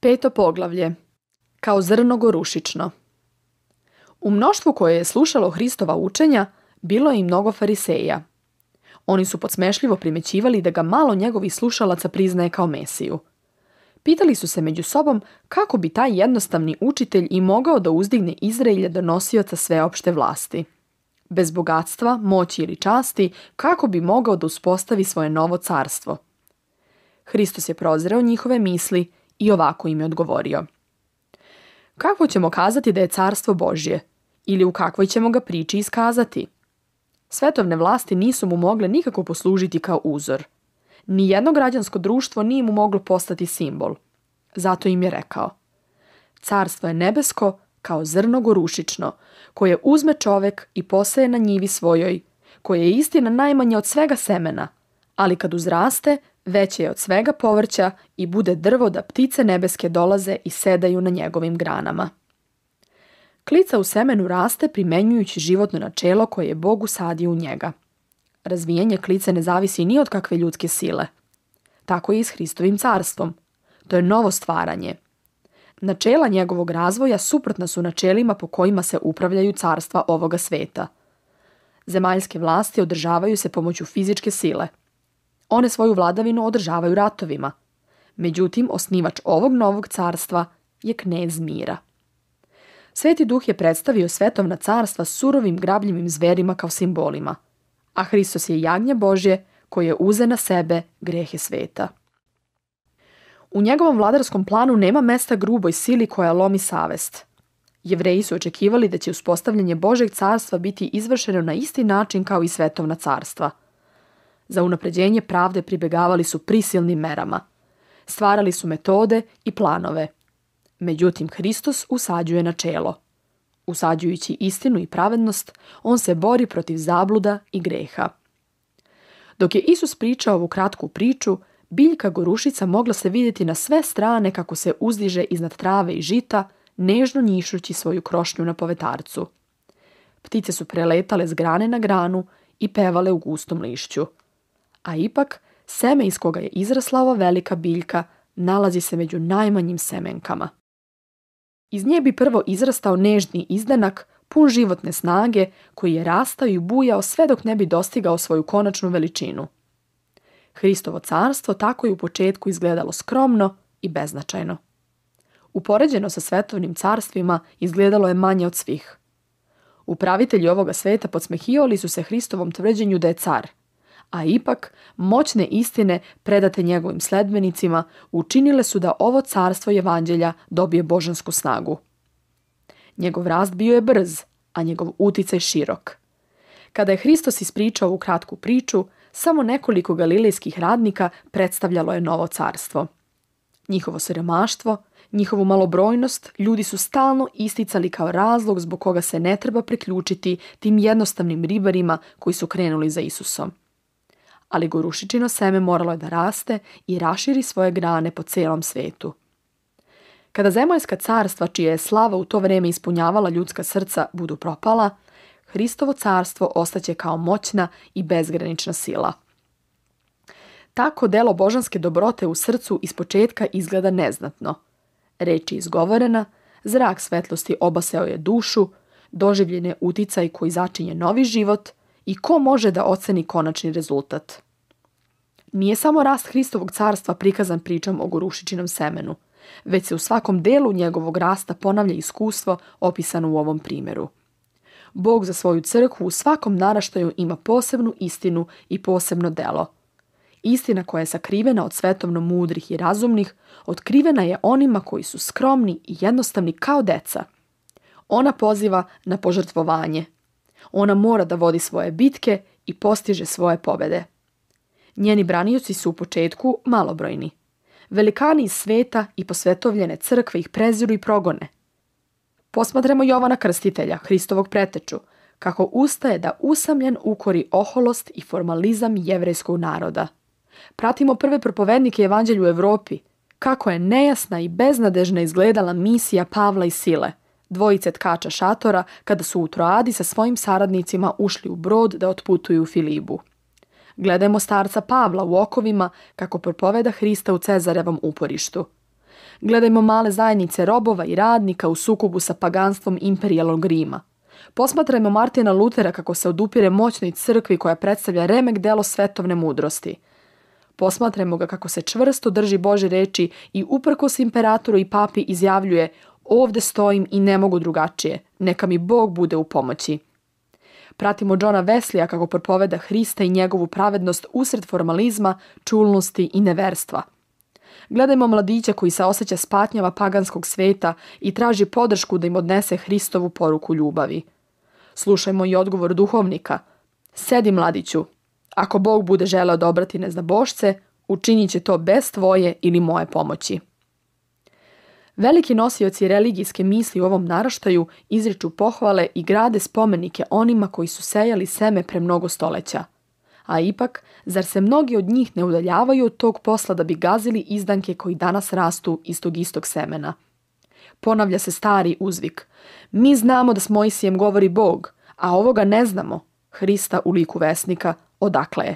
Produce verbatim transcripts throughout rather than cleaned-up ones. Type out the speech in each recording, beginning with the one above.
Peto poglavlje. Kao zrno gorušično. U mnoštvu koje je slušalo Hristova učenja, bilo je i mnogo fariseja. Oni su podsmešljivo primećivali da ga malo njegovih slušalaca priznaje kao Mesiju. Pitali su se među sobom kako bi taj jednostavni učitelj i mogao da uzdigne Izraelja do nosioca sveopšte vlasti. Bez bogatstva, moći ili časti, kako bi mogao da uspostavi svoje novo carstvo. Hristos je prozreo njihove misli i ovako im je odgovorio. Kako ćemo kazati da je carstvo Božje? Ili u kakvoj ćemo ga priči iskazati? Svetovne vlasti nisu mu mogle nikako poslužiti kao uzor. Nijedno građansko društvo nije mu moglo postati simbol. Zato im je rekao: Carstvo je nebesko kao zrno gorušično, koje uzme čovek i poseje na njivi svojoj, koje je istina najmanje od svega semena, ali kad uzraste, veće je od svega povrća i bude drvo da ptice nebeske dolaze i sedaju na njegovim granama. Klica u semenu raste primenjujući životno načelo koje je Bog usadio u njega. Razvijanje klice ne zavisi ni od kakve ljudske sile. Tako je i s Hristovim carstvom. To je novo stvaranje. Načela njegovog razvoja suprotna su načelima po kojima se upravljaju carstva ovoga sveta. Zemaljske vlasti održavaju se pomoću fizičke sile. One svoju vladavinu održavaju ratovima. Međutim, osnivač ovog novog carstva je knez mira. Sveti Duh je predstavio svetovna carstva surovim grabljivim zverima kao simbolima, a Hristos je jagnje Božje koje je uze na sebe grehe sveta. U njegovom vladarskom planu nema mesta gruboj sili koja lomi savest. Jevreji su očekivali da će uspostavljanje Božjeg carstva biti izvršeno na isti način kao i svetovna carstva. Za unapređenje pravde pribegavali su prisilnim merama. Stvarali su metode i planove. Međutim, Hristos usađuje načelo. Usađujući istinu i pravednost, on se bori protiv zabluda i greha. Dok je Isus pričao ovu kratku priču, biljka gorušica mogla se vidjeti na sve strane kako se uzdiže iznad trave i žita, nežno njišući svoju krošnju na povetarcu. Ptice su preletale s grane na granu i pevale u gustom lišću. A ipak, seme iz koga je izrasla ova velika biljka nalazi se među najmanjim semenkama. Iz nje bi prvo izrastao nežni izdanak, pun životne snage, koji je rastao i bujao sve dok ne bi dostigao svoju konačnu veličinu. Hristovo carstvo tako je u početku izgledalo skromno i beznačajno. Upoređeno sa svetovnim carstvima izgledalo je manje od svih. Upravitelji ovoga sveta podsmehivali su se Hristovom tvrđenju da je car, a ipak moćne istine predate njegovim sledbenicima učinile su da ovo carstvo evanđelja dobije božansku snagu. Njegov rast bio je brz, a njegov uticaj širok. Kada je Hristos ispričao ovu kratku priču, samo nekoliko galilejskih radnika predstavljalo je novo carstvo. Njihovo siromaštvo, njihovu malobrojnost ljudi su stalno isticali kao razlog zbog koga se ne treba priključiti tim jednostavnim ribarima koji su krenuli za Isusom. Ali gorušičino seme moralo je da raste i raširi svoje grane po celom svetu. Kada zemaljska carstva, čija je slava u to vreme ispunjavala ljudska srca, budu propala, Hristovo carstvo ostaće kao moćna i bezgranična sila. Tako delo božanske dobrote u srcu ispočetka izgleda neznatno. Reč je izgovorena, zrak svetlosti obaseo je dušu, doživljen je uticaj koji začinje novi život i ko može da oceni konačni rezultat. Nije samo rast Hristovog carstva prikazan pričom o gorušičinom semenu, već se u svakom delu njegovog rasta ponavlja iskustvo opisano u ovom primjeru. Bog za svoju crkvu u svakom naraštaju ima posebnu istinu i posebno delo. Istina koja je sakrivena od svetovno mudrih i razumnih, otkrivena je onima koji su skromni i jednostavni kao deca. Ona poziva na požrtvovanje. Ona mora da vodi svoje bitke i postiže svoje pobede. Njeni branioci su u početku malobrojni. Velikani iz sveta i posvetovljene crkve ih preziru i progone. Posmatramo Jovana Krstitelja, Hristovog preteču, kako ustaje da usamljen ukori oholost i formalizam jevrejskog naroda. Pratimo prve propovednike evanđelja u Evropi, kako je nejasna i beznadežna izgledala misija Pavla i Sile, dvojice tkača šatora, kada su u Troadi sa svojim saradnicima ušli u brod da otputuju u Filibu. Gledajmo starca Pavla u okovima kako propoveda Hrista u Cezarevom uporištu. Gledajmo male zajednice robova i radnika u sukobu sa paganstvom imperijalnog Rima. Posmatrajmo Martina Lutera kako se odupire moćnoj crkvi koja predstavlja remek delo svetovne mudrosti. Posmatrajmo ga kako se čvrsto drži Božje reči i uprkos imperatoru i papi izjavljuje: ovde stojim i ne mogu drugačije, neka mi Bog bude u pomoći. Pratimo Johna Wesleya kako propoveda Hrista i njegovu pravednost usred formalizma, čulnosti i neverstva. Gledajmo mladića koji se osjeća s patnjama paganskog sveta i traži podršku da im odnese Hristovu poruku ljubavi. Slušajmo i odgovor duhovnika: sedi, mladiću, ako Bog bude želeo da obrati neznabošce, učinit će to bez tvoje ili moje pomoći. Veliki nosioci religijske misli u ovom naraštaju izriču pohvale i grade spomenike onima koji su sejali seme pre mnogo stoleća. A ipak, zar se mnogi od njih ne udaljavaju od tog posla da bi gazili izdanke koji danas rastu iz tog istog semena? Ponavlja se stari uzvik: mi znamo da s Mojsijem govori Bog, a ovoga ne znamo, Hrista u liku vesnika, odakle je.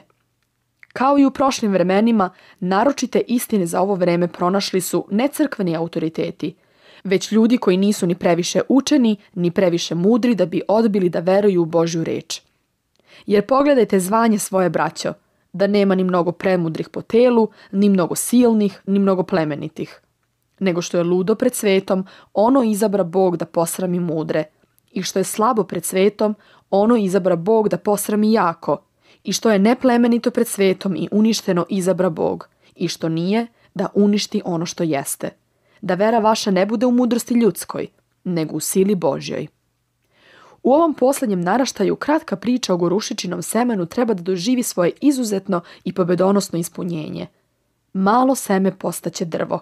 Kao i u prošlim vremenima, naročite istine za ovo vreme pronašli su ne crkveni autoriteti, već ljudi koji nisu ni previše učeni, ni previše mudri da bi odbili da veruju u Božju reč. Jer pogledajte zvanje svoje, braćo, da nema ni mnogo premudrih po telu, ni mnogo silnih, ni mnogo plemenitih. Nego što je ludo pred svetom, ono izabra Bog da posrami mudre. I što je slabo pred svetom, ono izabra Bog da posrami jako. I što je neplemenito pred svetom i uništeno izabra Bog. I što nije, da uništi ono što jeste. Da vera vaša ne bude u mudrosti ljudskoj, nego u sili Božjoj. U ovom posljednjem naraštaju kratka priča o gorušičinom semenu treba da doživi svoje izuzetno i pobedonosno ispunjenje. Malo seme postaće drvo.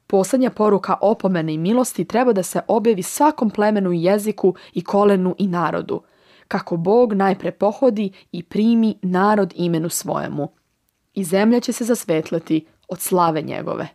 Posljednja poruka opomene i milosti treba da se objavi svakom plemenu i jeziku i kolenu i narodu, kako Bog najpre pohodi i primi narod imenu svojemu. I zemlja će se zasvetleti od slave njegove.